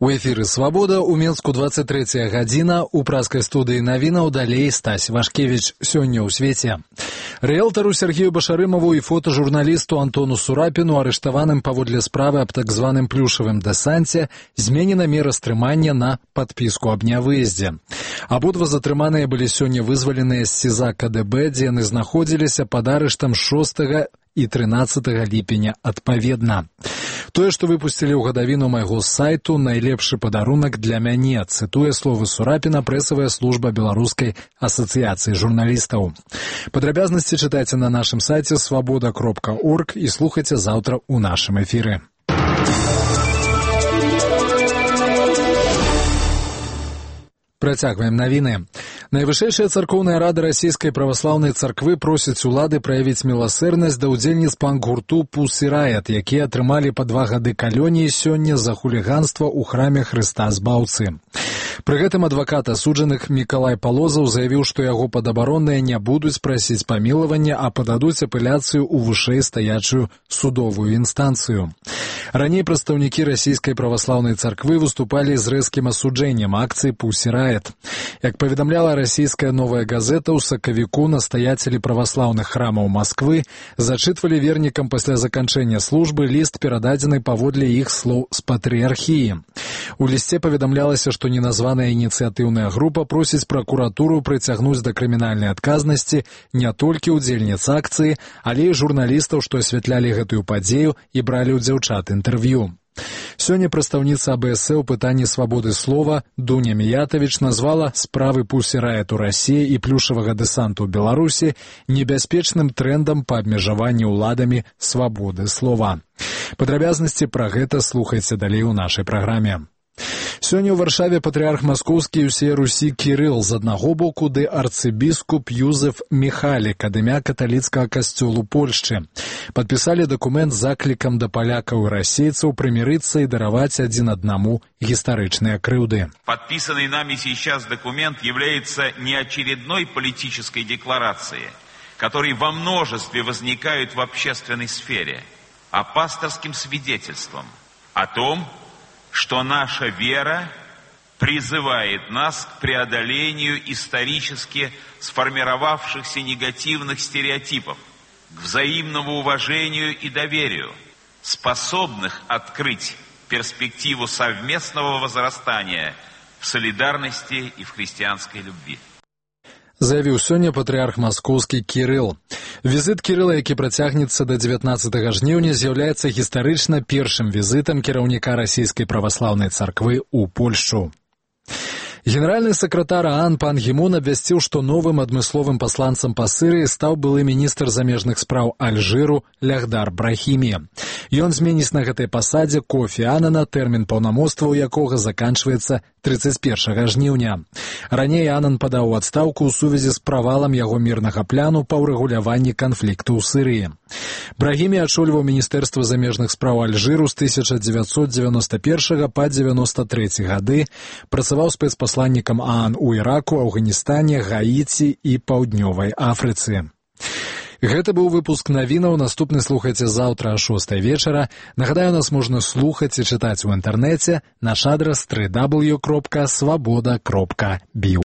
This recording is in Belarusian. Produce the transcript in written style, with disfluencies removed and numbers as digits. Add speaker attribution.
Speaker 1: У эфіры «Свабода» у Менску 23 гадзіна. У праскай студыі навінаў далей Стась Вашкевіч. Сёння ў свеце. Рыэлтару Сергею Башарымову і фотожурналісту Антону Сурапіну, арыштаваным паводле справы аб так званым плюшавым дэсанце, зменена мера стрымання на падпіску аб нявыездзе. Абодва затрыманыя былі сёння вызваленыя з СІЗА КДБ, дзе яны знаходзіліся пад арыштам 6 і 13 ліпеня адпаведна. Тое, што выпусцілі ў гадавіну майго сайту, найлепшы падарунак для мяне, цытуе словы Сурапіна прэсавая служба Беларускай асацыяцыі журналістаў. Падрабязнасці чытайце на нашым сайце свабода.орг і слухайце заўтра ў нашым эфіры. Працягваем навіны. Найвышэйшая царкоўная рада расійскай праваслаўнай царквы просіць улады праявіць міласэрнасць да ўдзельніц панк-гурту Pussy Riot, якія атрымалі па 2 гады калоніі сёння за хуліганства ў храме Хрыста Збаўцы. Пры гэтым адвакат асуджаных Мікалай Палозаў заявіў, што яго падабаронныя не будуць прасіць памілавання, а пададуць апеляцыю ў вышэй стаячую судовую інстанцыю. Раней прадстаўнікі расійскай праваслаўнай царквы выступалі з рэзкім асуджэннем акцыі Pussy Riot. Як паведамляла расійская новая газета, у сакавіку настаяцелі праваслаўных храмаў Масквы зачытвалі вернікам пасля заканчэння службы ліст, перададзены паводле іх слоў з патрыархіі. У лісце паведамлялася, што неназваная ініцыятыўная група просіць пракуратуру прыцягнуць да крымінальнай адказнасці не толькі ўдзельніц акцыі, але і журналістаў, што асвятлялі гэтую падзею і бралі ў дзяўчат інтэрв'ю. Сёння прадстаўніца АБС ў пытанні свабоды слова Дуня Міятавіч назвала справы Pussy Riot у Расіі і плюшавага дэсанту ў Беларусі небяспечным трэндам па абмежаванні ўладамі свабоды слова. Падрабязнасці пра гэта слухайце далей у нашай праграме. Сёння ў Варшаве патрыарх маскоўскі і ўсей Русі Кірыл з аднаго боку ды арцыбіскуп Юзеф Міхалік ад імя каталіцкага касцёлу Польшчы. Падпісалі дакумент з заклікам да палякаў і расейцаў прымірыцца і дараваць адзін аднаму гістарычныя крыўды.
Speaker 2: Подписанный нами сейчас документ является не очередной политической декларацией, которые во множестве возникают в общественной сфере, а пасторским свидетельством о том, что наша вера призывает нас к преодолению исторически сформировавшихся негативных стереотипов, к взаимному уважению и доверию, способных открыть перспективу совместного возрастания в солидарности и в христианской любви.
Speaker 1: Заявіў сёння патрыарх маскоўскі Кірыл. Візіт Кірыла, які працягнецца да 19 жніўня, з'яўляецца гістарычна першым візітам кіраўніка расійскай праваслаўнай царквы ў Польшчу. Генеральны сакратар ААН пан Гі Мун абвясціў, што новым адмысловым пасланцам па Сірыі стаў былы міністр замежных спраў Альжыру Лягдар Брахімі. Ён зменіць на гэтай пасадзе Кофі Анана, тэрмін паўнамоцтваў якога заканчваецца 31 жніўня. Раней Анан падаў у адстаўку ў сувязі з правалам яго мірнага пляну па ўрэгуляванні канфлікту ў Сірыі. Брахімі ачольваў міністэрства замежных спраў Альжыру з 1991 па 93 гады, працаваў спецпасланнікам ААН у Іраку, Афганістане, Гаіці і Паўднёвай Афрыцы. Гэта быў выпуск навінаў. Наступны слухайце заўтра о 6 вечара. Нагадаю, нас можна слухаць і чытаць у інтэрнэце. Наш адрас www.svoboda.biu.